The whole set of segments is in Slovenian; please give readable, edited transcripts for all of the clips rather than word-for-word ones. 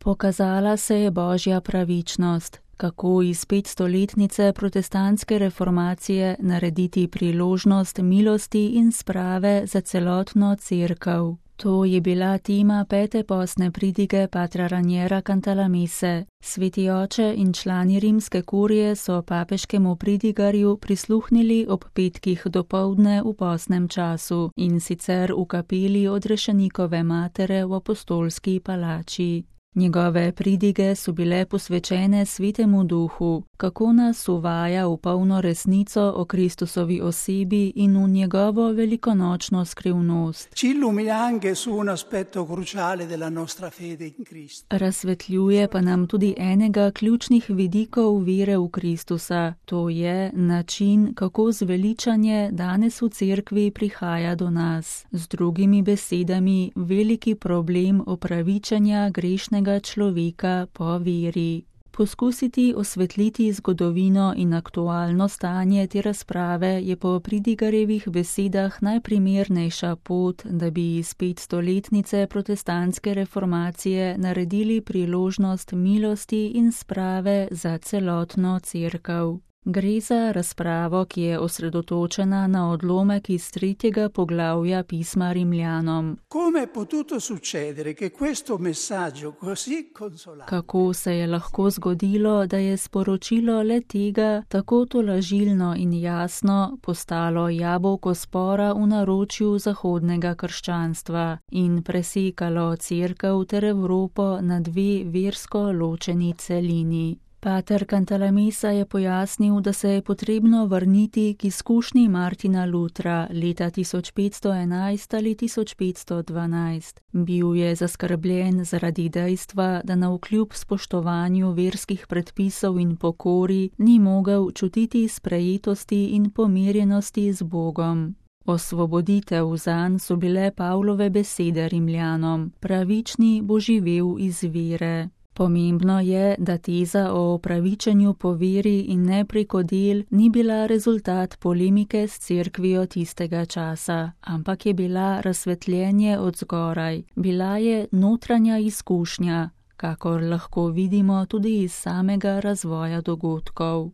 Pokazala se je Božja pravičnost, kako iz 500-letnice protestantske reformacije narediti priložnost milosti in sprave za celotno cerkev. To je bila tema 5. postne pridige patra Raniera Cantalamesse. Sveti oče in člani rimske kurije so papeškemu pridigarju prisluhnili ob petkih dopoldne v postnem času, in sicer v kapeli Odrešenikove matere v apostolski palači. Njegove pridige so bile posvečene Svetemu Duhu, kako nas uvaja v polno resnico o Kristusovi osebi in v njegovo velikonočno skrivnost. Razsvetljuje pa nam tudi enega ključnih vidikov vere v Kristusa, to je način, kako zveličanje danes v cerkvi prihaja do nas. Z drugimi besedami, veliki problem opravičenja grešnega človeka po veri. Poskusiti osvetliti zgodovino in aktualno stanje te razprave je po pridigarjevih besedah najprimernejša pot, da bi iz 500-letnice protestantske reformacije naredili priložnost milosti in sprave za celotno cerkev. Gre za razpravo, ki je osredotočena na odlomek iz 3. poglavja pisma Rimljanom. Kako se je lahko zgodilo, da je sporočilo le tega tako tolažilno in jasno postalo jabolko spora v naročju zahodnega krščanstva in presekalo cerkev ter Evropo na dve versko ločeni celini. Pater Cantalamessa je pojasnil, da se je potrebno vrniti k izkušnji Martina Lutra leta 1511 ali 1512. Bil je zaskrbljen zaradi dejstva, da navkljub spoštovanju verskih predpisov in pokori ni mogel čutiti sprejetosti in pomirjenosti z Bogom. Osvoboditev zanj so bile Pavlove besede Rimljanom: pravični bo živel iz vere. Pomembno je, da teza o opravičenju po veri in ne preko del ni bila rezultat polemike s cerkvijo tistega časa, ampak je bila razsvetljenje od zgoraj, bila je notranja izkušnja, kakor lahko vidimo tudi iz samega razvoja dogodkov.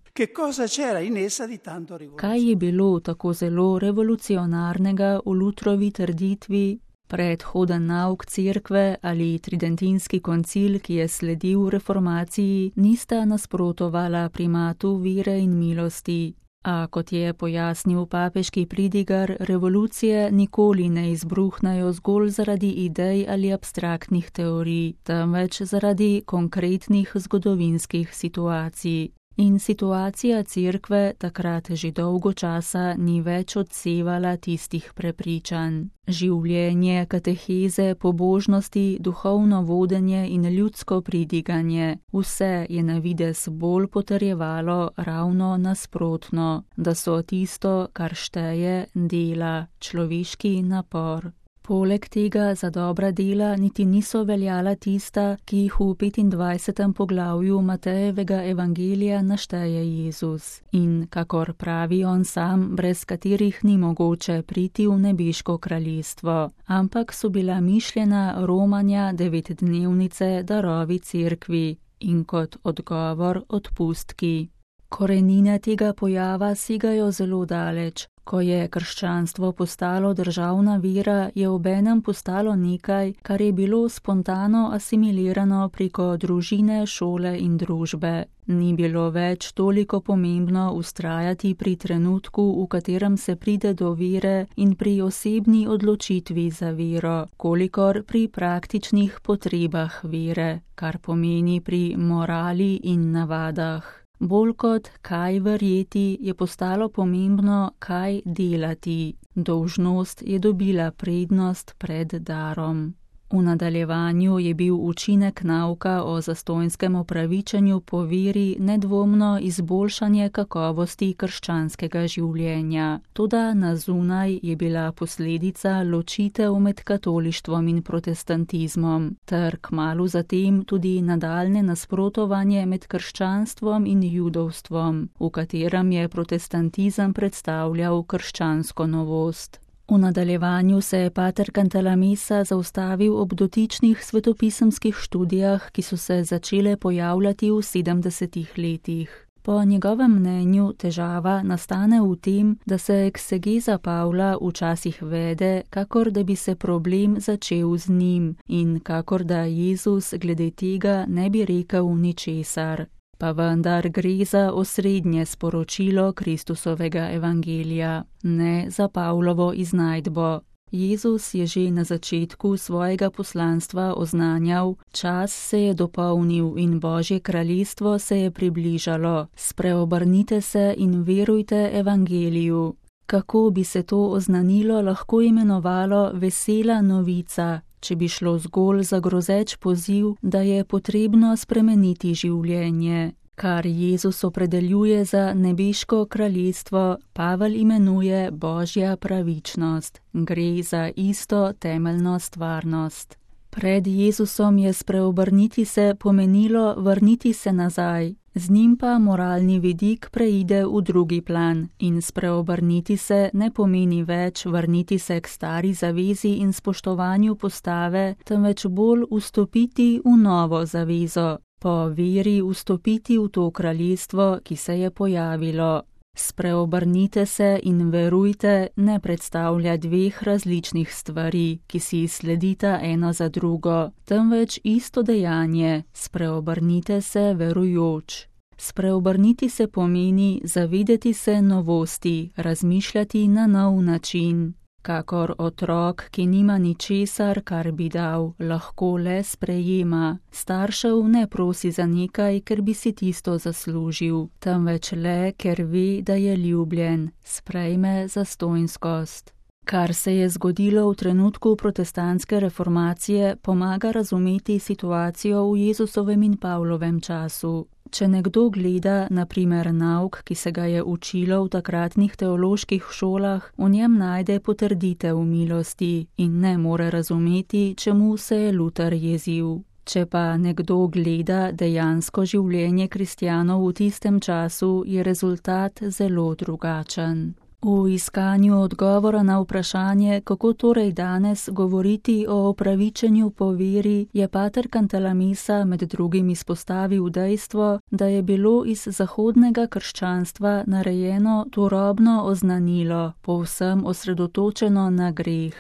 Kaj je bilo tako zelo revolucionarnega v Lutrovi trditvi? Predhoden nauk cerkve ali tridentinski koncil, ki je sledil reformaciji, nista nasprotovala primatu vere in milosti. A kot je pojasnil papeški pridigar, revolucije nikoli ne izbruhnajo zgolj zaradi idej ali abstraktnih teorij, temveč zaradi konkretnih zgodovinskih situacij. In situacija cerkve takrat že dolgo časa ni več odsevala tistih prepričanj. Življenje, kateheze, pobožnosti, duhovno vodenje in ljudsko pridiganje, vse je na videz bolj potrjevalo ravno nasprotno, da so tisto, kar šteje, dela, človeški napor. Poleg tega za dobra dela niti niso veljala tista, ki jih v 25. poglavju Matejevega evangelija našteje Jezus in, kakor pravi on sam, brez katerih ni mogoče priti v nebeško kraljestvo, ampak so bila mišljena romanja 9-dnevnice darovi cerkvi in kot odgovor odpustki. Korenine tega pojava segajo zelo daleč. Ko je krščanstvo postalo državna vera, je obenem postalo nekaj, kar je bilo spontano asimilirano preko družine, šole in družbe. Ni bilo več toliko pomembno vztrajati pri trenutku, v katerem se pride do vere in pri osebni odločitvi za vero, kolikor pri praktičnih potrebah vere, kar pomeni pri morali in navadah. Bolj kot kaj verjeti, je postalo pomembno, kaj delati. Dolžnost je dobila prednost pred darom. V nadaljevanju je bil učinek nauka o zastonjskem opravičenju po veri nedvomno izboljšanje kakovosti krščanskega življenja. Toda na zunaj je bila posledica ločitev med katolištvom in protestantizmom, ter kmalu zatem tudi nadaljne nasprotovanje med krščanstvom in judovstvom, v katerem je protestantizem predstavljal krščansko novost. V nadaljevanju se je pater Cantalamessa zaustavil ob dotičnih svetopisemskih študijah, ki so se začele pojavljati v 70. letih. Po njegovem mnenju težava nastane v tem, da se eksegeza Pavla včasih vede, kakor da bi se problem začel z njim in kakor da Jezus glede tega ne bi rekel ničesar. Pa vendar gre za osrednje sporočilo Kristusovega evangelija, ne za Pavlovo iznajdbo. Jezus je že na začetku svojega poslanstva oznanjal: čas se je dopolnil in Božje kraljestvo se je približalo, spreobrnite se in verujte evangeliju. Kako bi se to oznanilo lahko imenovalo vesela novica, če bi šlo zgolj za grozeč poziv, da je potrebno spremeniti življenje? Kar Jezus opredeljuje za nebeško kraljestvo, Pavel imenuje Božja pravičnost. Gre za isto temeljno stvarnost. Pred Jezusom je spreobrniti se pomenilo vrniti se nazaj, z njim pa moralni vidik preide v drugi plan in spreobrniti se ne pomeni več vrniti se k stari zavezi in spoštovanju postave, temveč bolj vstopiti v novo zavezo. Po veri vstopiti v to kraljestvo, ki se je pojavilo. Spreobrnite se in verujte ne predstavlja dveh različnih stvari, ki si sledita eno za drugo, temveč isto dejanje, spreobrnite se verujoč. Spreobrniti se pomeni zavedeti se novosti, razmišljati na nov način. Kakor otrok, ki nima ničesar, kar bi dal, lahko le sprejema. Staršev ne prosi za nekaj, ker bi si tisto zaslužil, temveč le, ker ve, da je ljubljen, sprejme zastonjskost. Kar se je zgodilo v trenutku protestantske reformacije, pomaga razumeti situacijo v Jezusovem in Pavlovem času. Če nekdo gleda, na primer, nauk, ki se ga je učilo v takratnih teoloških šolah, v njem najde potrditev milosti in ne more razumeti, čemu se je Luter jezil. Če pa nekdo gleda dejansko življenje kristjanov v tistem času, je rezultat zelo drugačen. V iskanju odgovora na vprašanje, kako torej danes govoriti o opravičenju po veri, je pater Cantalamessa med drugim izpostavil dejstvo, da je bilo iz zahodnega krščanstva narejeno turobno oznanilo, povsem osredotočeno na greh.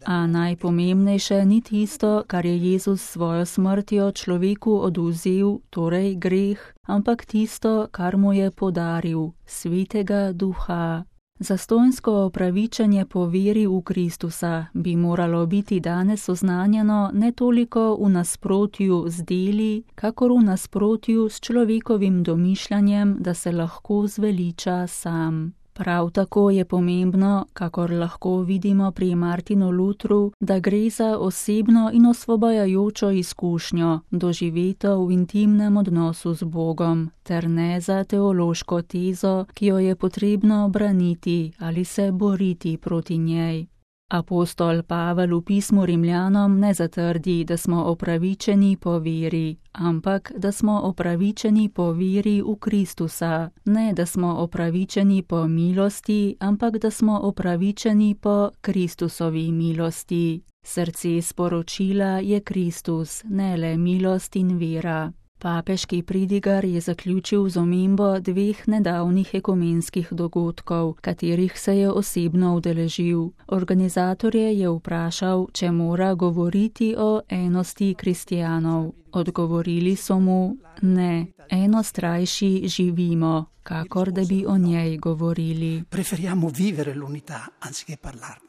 A najpomembnejše ni tisto, kar je Jezus s svojo smrtjo človeku odvzel, torej greh, ampak tisto, kar mu je podaril, Svetega Duha. Zastonjsko opravičenje po veri v Kristusa bi moralo biti danes oznanjeno ne toliko v nasprotju z deli, kakor v nasprotju s človekovim domišljanjem, da se lahko zveliča sam. Prav tako je pomembno, kakor lahko vidimo pri Martinu Lutru, da gre za osebno in osvobajajočo izkušnjo, doživeto v intimnem odnosu z Bogom, ter ne za teološko tezo, ki jo je potrebno braniti ali se boriti proti njej. Apostol Pavel v pismu Rimljanom ne zatrdi, da smo opravičeni po veri, ampak da smo opravičeni po veri v Kristusa, ne da smo opravičeni po milosti, ampak da smo opravičeni po Kristusovi milosti. Srce sporočila je Kristus, ne le milost in vera. Papeški pridigar je zaključil z omembo dveh nedavnih ekumenskih dogodkov, katerih se je osebno udeležil. Organizatorje je vprašal, če mora govoriti o enosti kristjanov. Odgovorili so mu: ne, enostrajši živimo, kakor da bi o njej govorili. Preferiamo vivere l'unità anziché parlarne.